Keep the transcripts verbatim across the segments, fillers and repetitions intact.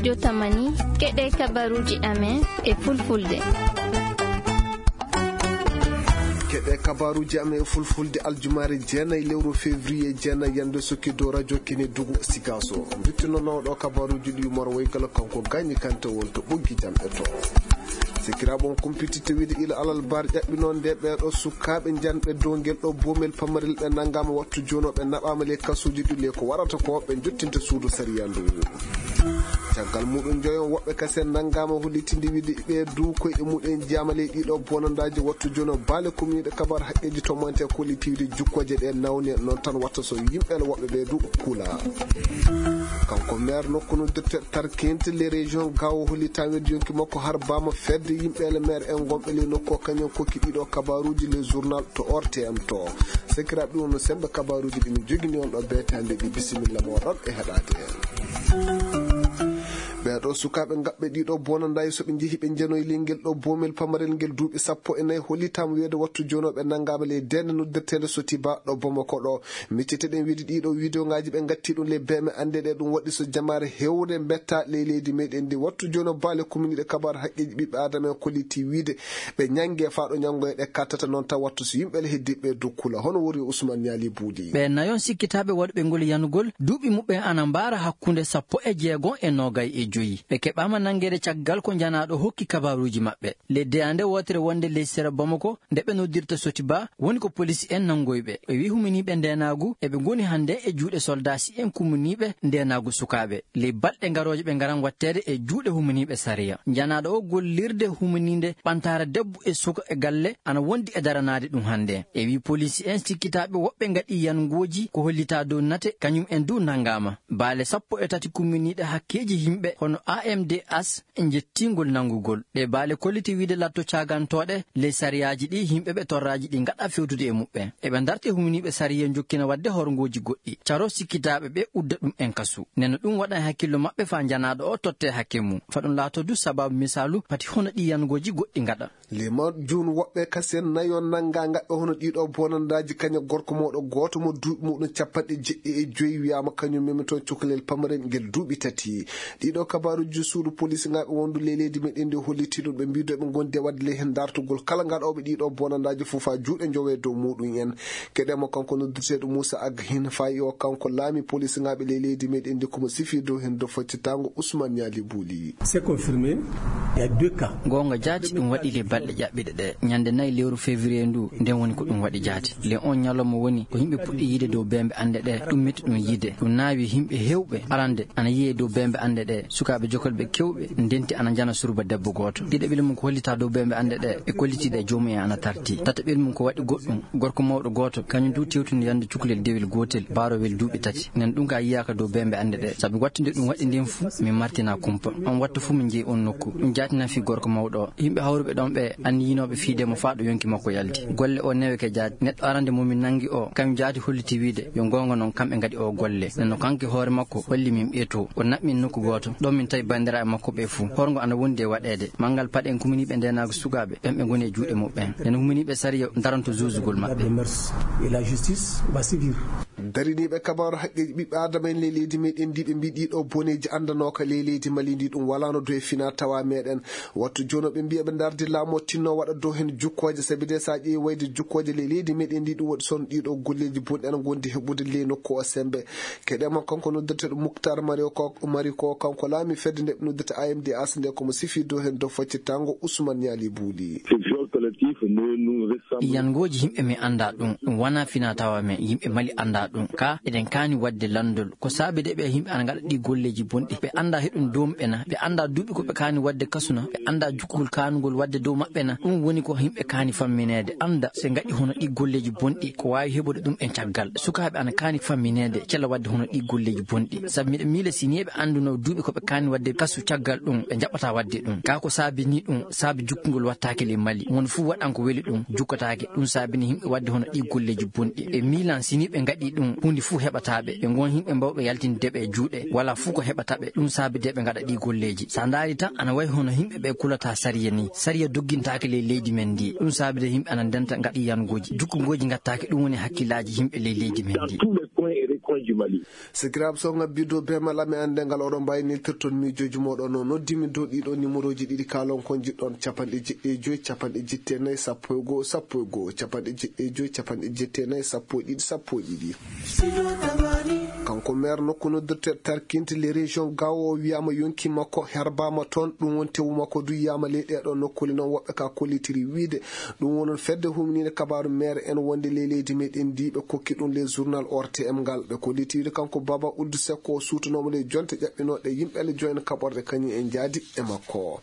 Jotamani, keɗe kabaruuji amen e fulfulde. Keɗe kabaruuji amen e fulfulde aljumaare jeenayi lewru février jeenayi, yande sukki dow radio Kine Dugu Sigaso. Mbittinoowo ɗo kabaruuji ɗi Umar Woygalo, kanko Gagny Kanté won to ɓoggi janɗe to. Sikiraaɓe on kumpititte wiide ila alal bar ƴaɓɓinoo nde ɓeeɗo sukaaɓe janɓe dow ngel ɗo boomel pamarel ɓe nanngaama wattu jooni o ɓe naɓaama ley kasuuji ɗi le ko warata ko ɓe jottinta suudu sariya ndu. Caggal muɗum joyon woɓɓe kasen nanngaama hollitinde wiide ɓe du koyɗe muɗen jeyama ley ɗiɗo bonandaaji wattu jooni o baale kumniiɗe kabar haqqeeji to mante kolliti wiide jukkooje ɗe nawne noon tan watta so yimɓe woɓɓe ɓe du kula. Kanko maire nokku no docteur Tarkinte les régions gawo holli tan weddi yonki makko har bama fedde yimɓe ele maire en gonɓe ley nokku o kañum kokki ɗiɗo kabaruji le journal to ortm to. Sekiraɓe ɗum no sembe kabaruji ɗi min jogini on ɗo betande ɗi bisimilla moɗon e heɗade en. Ɓeɗo sukaɓe gaɓɓe ɗiɗo bonandayi soɓe jeehi ɓe jenoyi ley ngel ɗo bomel pamarel ngel duuɓi sappo e nayi hollitama wiyede wattu jonoɓe nangaɓe ley dende noddirtede sotiba ɗo bomako ɗo. Micciteɗen wiide ɗiɗo vidéo ngaji ɓe gatti ɗum ley beme ande ɗe ɗum waɗi so jamaare hewre mbetta ley leydi meɗen ndi wattu jono baale communiɗe kabar haqqeji ɓiɓɓe adama en kolliti wiide ɓe ñange faɗo ñangoye ɗe kattata noon taw wattu so yimɓe le heddiɓe dokkula hono wori ousmane ñaali buuɗi. Ɓe nayon sikkitaɓe waɗuɓe ngol yanugol duuɓi muɓɓen ana mbaara hakkunde sappo e jeego e nogay e joyi ɓe keɓama nangede caggal ko janaɗo hokki kabaruji maɓɓe. Ley deyande wotere wonde ley sera bamako nde ɓe noddirta sotiba woni ko polisi en nangoyɓe ɓe wi huminiɓe ndenagu eɓe goni hande e juuɗe soldasi en kuminiɓe ndenagu sukaɓe ley balɗe garoje ɓe garan wattede e juuɗe huminiɓe sariya. Janaɗo o gollirde huminide ɓantara debbo e suka e galle ana wondi e daranade ɗum hande e wi polisi en sikkitaɓe woɓɓe gaɗi yangoji ko hollita dow nate kañum en du nangama baale sappo e tati kuminiɗe hakkeji yimɓe hono amds e jettingol nanngugol ɗe baale kolliti wiide latto caagantoɗe ley sariyaaji ɗi yimɓe ɓe torraaji ɗi ngaɗa fewtude e muɓɓen eɓe ndarti humniiɓe sariya jokkina waɗde horngooji goɗɗi caro sikkitaaɓe ɓe udda ɗum en kasu. Neno ɗum waɗa e hakkillo maɓɓe faa janaaɗo o totte hakke mum faa ɗum laato du sabaabu misaalu pati hono ɗi yangooji goɗɗi ngaɗa. Limon jun woɓɓe kasen nayon nannga ngaɓɓe hono ɗiɗo bonandaaji kaña gorko mawɗo gooto mo duuɓi muɗum capanɗe jeɗɗi e joyi wiyaama kañum memi toon cukalel pamarel ngel duuɓi tati. Ɗiɗo kabaruuji suudu polisingaɓe wondu ley leydi meɗen ndi holliti ɗum ɓe mbiido ɓe gondi e waɗde ley heen dartugol kala ngaɗooɓe ɗiɗo bonandaaji fof haa juuɗe njowe dow muɗum en. Keɗemo kanko noddirteeɗo Moussa Ag hin fayi o kanko laami polisingaɓe ley leydi meɗen ndi komo sifi dow heen do faccitango Ousmane Ñaali Buuli. C'est confirmé. Il y a deux cas. Goonga jaati ɗum waɗi ley balɗe ƴaɓɓiɗe ɗe ñande nayi lewru février ndu nden woni ko ɗum waɗi jaati. Ley on ñalawma woni ko yimɓe puɗɗi yiide dow bembe annde ɗe ɗum metti ɗum yiide ɗum naawi yimɓe hewɓe arande ana yiye dow bembe annde ɗe sukaaɓe jokolɓe kewɓe ndenti ana njana suruba debbo gooto ɗiɗaɓel mum ko hollita dow bembe annde ɗe e kollitiiɗe e joomum en ana tarti tataɓel mum ko waɗi goɗɗum gorko mawɗo gooto kañum du tewtino yande cukalel dewel gootel baarowel duuɓi tati nen ɗum ka yiyaaka dow bembe annde ɗe sabi wattude ɗum waɗi ndin fuu min martina kumpa on wattu fuu min jeyi on nokku ɗum jaatinan fii gorko mawɗo o yimɓe hawruɓe ɗon ɓe anniyinooɓe fiide mo faa ɗo yonki makko yalti golle o neweke jaati neɗɗo arande mo min nanngi o kañum jaati holliti wiide yo goonga noon kamɓe ngaɗi o golle nenno kanki hoore makko holli min ɓeeto o naɓmin nokku gooto ɗon min tawi banndiraaɓe makko ɓe fuu horngo ana wondi e waɗeede manngal paɗen kuminiiɓe ndeenaagu sukaaɓe ɓen ɓe ngoni e juuɗe muɓɓen nen huminiiɓe sariya daranto juusugol maɓɓe. Dariniiɓe kabaaru haqqeeji ɓiɓɓe aadama en ley leydi meɗen ndi ɓe mbii ɗiɗo boneeji anndanooka ley leydi mali ndi ɗum walaano dow e fina tawa meɗen wattu jono ɓe mbiya ɓe ndardi laamu o tinno waɗa dow heen jukkooje sabi de so a ƴeewi wayde jukkooje ley leydi meɗen ndi ɗum waɗi son ɗiɗo golleeji bonɗi ana ngondi heɓude ley nokku o sembe keɗema kanko noddirteɗo muktar mari ko kanko laami fedde nde ɓe noddirta amd as nde komo sifi dow heen dow faccittango ousmane ñaali buuli. Yangooji yimɓe mi annda ɗum ɗum wona fina tawa men yimɓe mali annda ɗum ka eɗen kaani waɗde lanndol ko saabi de ɓe yimɓe ana ngaɗa ɗi golleeji bonɗi ɓe annda heɗum doomɓe na ɓe annda duuɓi ko ɓe kaani waɗde kasuna ɓe annda jukkugol kaanugol waɗde dow maɓɓe na ɗum woni ko yimɓe kaani fammineede annda so ngaɗi hono ɗi golleeji bonɗi ko waawi heɓude ɗum e caggal sukaaɓe ana kaani fammineede cella waɗde hono ɗi golleeji bonɗi sabu miɗa miila si ni eɓe annduno duuɓi ko ɓe kaani waɗde kasu caggal ɗum ɓe njaɓɓata waɗde ɗum ka ko saabi ni ɗum saabi jukkugol wattaake ley mali won fuu waɗan ko weli ɗum jukkataake ɗum saabini yimɓe waɗde hono ɗi golleeji bonɗi ɓe miilan si ni ɓe ngaɗi ɗum huunde fuu heɓataɓe ɓe ngon yimɓe mbawɓe yaltinde ɓe juuɗe wala fuu ko heɓataɓe ɗum saabi de ɓe ngaɗa ɗi golleeji sa ndaari tan ana wayi hono yimɓe ɓe kulata sariya ni sariya doggintaake ley leydi men ndi ɗum saabi de yimɓe ana ndenta ngaɗi yangooji jukkugooji ngattaake ɗum woni hakkillaaji yimɓe ley leydi men ndi. konji Mali. Sikiraaɓe, so ngabbirɗo be mala mi annde ngal oɗon mbaawi neltirton miijooji mooɗon. No noddimi dow ɗiɗo numéroji ɗiɗi, kaalon ko njiɗɗon: capanɗe jeɗɗi e joy, capanɗe jetti e nayi, sappo e goo, sappo e goo, capanɗe jeɗɗi e joy, capanɗe jetti e nayi, sappo e ɗiɗi, sappo e ɗiɗi. Kanko maire nokku noddirte Tarkinte les régions Gao, o wiyama yonki makko herbama toon. Ɗum woni tewu makko du yiyama ley ɗeɗo nokkuli noon, woɓɓe ka kollitiri wiide ɗum wonon fedde humninde kabaaru maire en wonde ley leydi meɗen ndi ɓe kokki ɗum le journal O R T M ngal. Ɓe kolliti wiide kanko Baba Ould Seck o suutanoma ley jonte ƴaɓɓinoɗe yimɓe le joine kaɓorɗe kañum en jaadi e makko.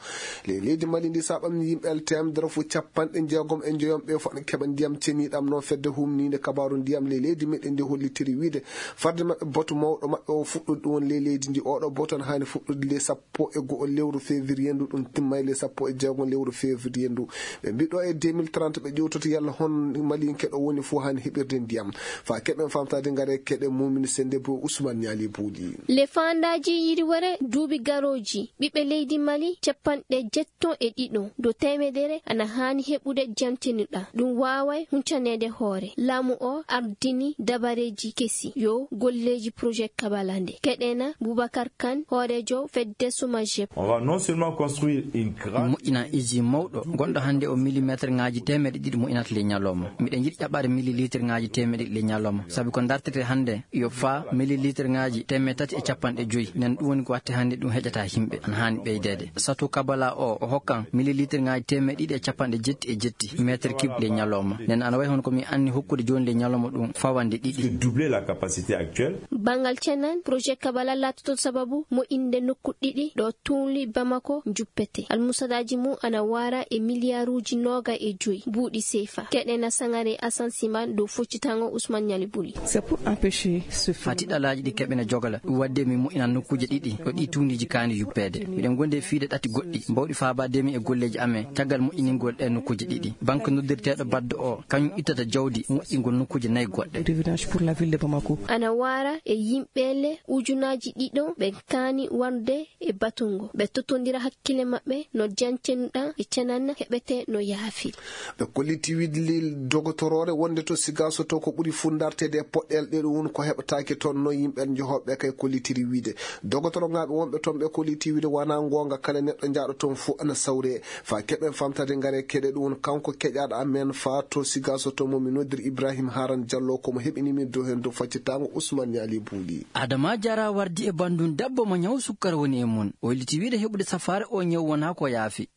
Ley leydi Mali ndi, saɓam yimɓe le temedere fof capanɗe jeegom e njoyom ɓe fof ne keɓa ndiyam ceniɗam. Noon fedde humninde kabaaru ndiyam ley leydi meɗen ndi hollitiri wiide farde maɓɓe batu mawɗo maɓɓe o fuɗɗude ɗum woni ley leydi ndi. Oɗo batu ne haani fuɗɗude le sappo e go'o lewru février ndu, ɗum timma e le sappo e jeegom lewru février ndu. Ɓe mbiɗo e deux mille trente ɓe ƴewtoto yalla hon Maliyanke ɗo woni fof haani heɓirde ndiyam. Fa keɓen famtade ngare keɗe mumini sende bo Ousmane Niali Bouli. Le faandaaji yiriwere duuɓi garooji ɓiɓɓe leydi Mali capanɗe jetton e ɗiɗo dow teemedere ana haani heɓude jantenuɗa. Ɗum waaway huncaneede hoore. Laamu o ardini dabareeji kesi yo golleeji projet Kabala nde. Keɗena Boubacar Kane, hooreejo fedde Soumagep. On va non seulement construire une grande moƴƴina iji mawɗo gonɗo hannde o millimétre ŋaaji teemeɗe ɗiɗi moƴƴinata ley ñalawma. Miɗen njiɗi ƴaɓɓaade millilitre ŋaaji teemeɗe ɗiɗi ley ñalawma, sabi ko dartete hannde yo faa millilitre ŋaaji teemeɗe tati e capanɗe joyi. Nen ɗum woni ko watte hannde ɗum heƴata yimɓe, ana haani ɓeydeede. Sato Kabala o, o hokkan millilitre ŋaaji teemeɗe ɗiɗi e capanɗe jetti e jetti mètre cube ley ñalawma. Nen ana wayi hono ko mi anni hokkude jooni ley ñalawma ɗum fawande ɗiɗi. Doubler la capacité actuelle. Banngal cenan, projet Kabala laatoto sababu moƴƴinde nokku ɗiɗi ɗo tuuli Bamako juppete. Almusadaaji mum ana waara e miliyaaruuji nooga e joyi buuɗi seefa. Keɗena Sangare Asan Siman dow foccitaango Ousmane Niali Bouli. C'est pour empêcher ce phénomène. Faa tiɗalaaji ɗi keɓena jogala. Ɗum waɗde min moƴƴinan nokkuuje ɗiɗi ɗo ɗi tuundiiji kaani yuppeede. Miɗen ngondi e fiide ɗati goɗɗi mbawɗi faabaade min e golleeji amen caggal moƴƴiningol ɗee nokkuuje ɗiɗi. Banque noddirteeɗo baddo o, kañum ittata jawdi moƴƴingol nokkuuje nayi goɗɗe. Revenage pour la ville de Bamako. Ana waara e yimɓe le ujunaaji ɗiɗo ɓe kaani warde e batungo. Ɓe totondira hakkille maɓɓe no jancenuɗa e cenanna heɓete no yaafi. Ɓe kolliti wiide le dogotoroore wonde to Sigaso to ko ɓuri fundarteede e poɗɗel ɗe ɗum woni ko heɓataake toon no yimɓe njohoɓe kay kollitiri wiide. Dogotoro ŋaaɓe wonɓe toon ɓe kolliti wiide wona goonga kala neɗɗo jaaɗo toon fof ana sawre. Fa keɓen famtade ngare keɗe ɗum woni kanko keƴaɗo amen fa to Sigaso to mo mi noddir Ibrahim Haran Diallo ko mo heɓini min dow heen dow faccitango Ousmane Niali Bouli. Adama Jara wardi e banndum debbo mo ñaw sukkar woni e mum. O holliti wiide heɓude safaare o ñaw wona ko yaafi.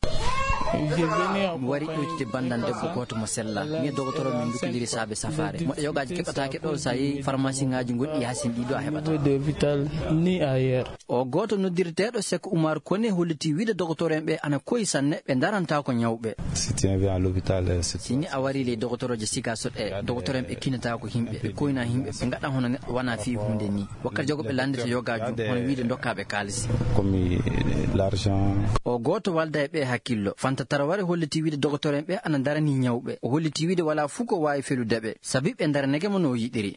Mi wari ƴewtide banndam debbo gooto mo sella. Mi e dogotoro min ndukkondiri saabe safaare. Moɗe yogaaji keɓataake ɗo so a yehi farmasiŋaaji gonɗi yaasin ɗiɗo a heɓata. O gooto noddirteeɗo Sek Umar Kone holliti wiide dogotoro en ɓe ana koyi sanne, ɓe ndarantaa ko ñawɓe. Si tu viens à l'hôpital, euh, c'est si ni a wari ley dogotoroje Sigaso ɗe, dogotoro en ɓe kinataa ko yimɓe, ɓe koyna yimɓe, ɓe ngaɗa hono neɗɗo wana fii huunde ni. Wakkati jogo ɓe lanndita yogaaji hono wiide dokkaaɓe kaalisi. Comme, euh, l'argent. O gooto walda e ɓe hakkillo. Fanta Taraware holliti wiide dogotoro en ɓe ana ndarani ñawɓe. O holliti wiide walaa fuu ko waawi felude ɓe, sabi ɓe ndaranake mo no o yiɗiri.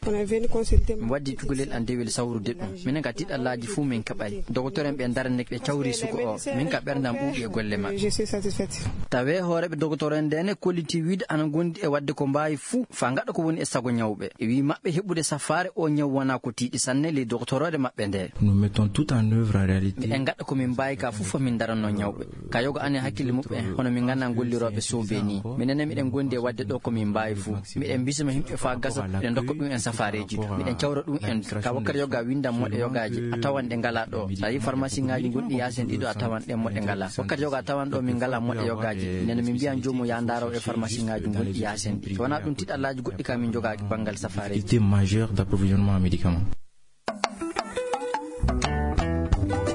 Mi waddi cukalel an dewel sawrude ɗum. Minen ka tiɗallaaji fuu min kaɓay. Dogotoro en ɓe ndaranake ɓe cawri suko o. Min ka ɓerndam ɓuuɓi e golle maɓɓe. Tawe hooreeɓe dogotoro en ndene kolliti wiide ana ngondi e wadde ko mbaawi fuu faa ngaɗa ko woni e sago ñawɓe. E wii maɓɓe heɓude safaare o ñaw wona ko tiiɗi sanne ley dogotoroore maɓɓe nde. Nous mettons tout en œuvre en réalité. Miɗen ngaɗa ko min mbaawi ka fof faa min ndaranno ñawɓe. Ka yoga anen hakkille muɓɓen hono min ngana gollirooɓe soobee ni. Minen ne miɗen gondi e wadde ɗo ko min mbaawi fuu. Miɗen bisma yimɓe faa gasa, miɗen dokka ɗum en safaareeji du. Miɗen cawra ɗum en du. Ka wakkati yoga windan moɗe yogaaji, a tawan ɗe ngalaa ɗo. So a yii farmasiŋaaji gonɗi yaasin ɗiɗo a tawan ɗen moɗe ngalaa. Wakkati yoga a tawan ɗo min ngalaa moɗe yogaaji. Nden min mbiyan joomum yaa ndaaro e farmasiŋaaji gonɗi yaasin ɗi. So wonaa ɗum tiɗallaaji goɗɗi ka min jogaaki banngal safaareeji. Difficulté majeure d'approvisionnement en médicaments.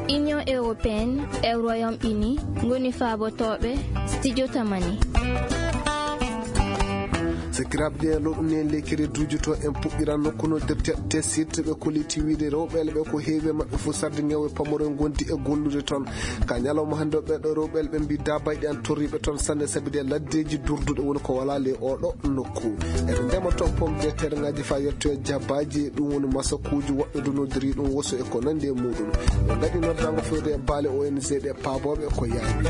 Union européenne e Royaume Uni ngoni faabotooɓe Studio Tamani. Sakiraaɓe, ɗe ɗo ɗum en lekkere duujuto en puɗɗiran nokku noddirte tesirte ɓe kolliti wiide rewɓe ɓe ko heewi e maɓɓe fof sarde ñaw e pamaro ngondi e gollude toon. Ka ñalawma hannde o ɓeɗo rewɓe ɓe mbi dabayɗe an torriɓe toon sanne sabi ɗe laddeji durduɗe woni ko wala le oɗo nokku. Eɓe ndema Oto pom de terŋaaji faa yettoya jabaaji, ɗum woni masakuuji woɓɓe du noddiri ɗum woso e ko nandi e muuɗum. Ɓe ngaɗi noddaango fewde e baale O N G ɗe paabooɓe ko yaawi.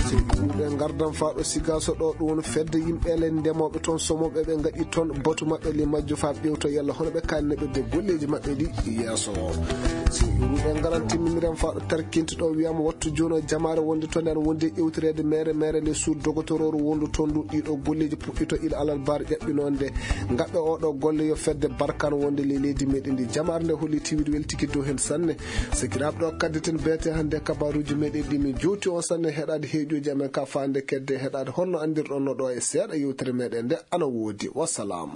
So iwruɗe ngardan faa ɗo Sigaaso ɗo, ɗum woni fedde yimɓe ele ndemooɓe toon, somooɓe ɓe ngaɗi toon batu maɓɓe li majjo faa ɓewto yalla hono ɓe kaanne ɓe de golleeji maɓɓe ɗi yeeso. So iwruɗe ngaran timminiran faa ɗo tarkinti ɗo wiyama wattu jooni o jamaare wonde toon en wonde iwtireede mere mere nde suud dogotorooru wondu toon ndu ɗiɗo golleeji puɗɗito ila alal baar ƴaɓɓinoonde. Ngaɓɓe oɗo golle yo fedde barkan wonde le leydi meɗen ndi. Jamaare nde holli tiwid weltiki dow hen sanne. Sakiraaɓe ɗo kaddeten beete hannde kabaruuji meɗen ɗi min jowti on sanne heɗaade heeƴuji amen ka faande kedde heɗaade honno anndirɗon no ɗo e seeɗa yewtere meɗen nde ana woodi. Wassalam.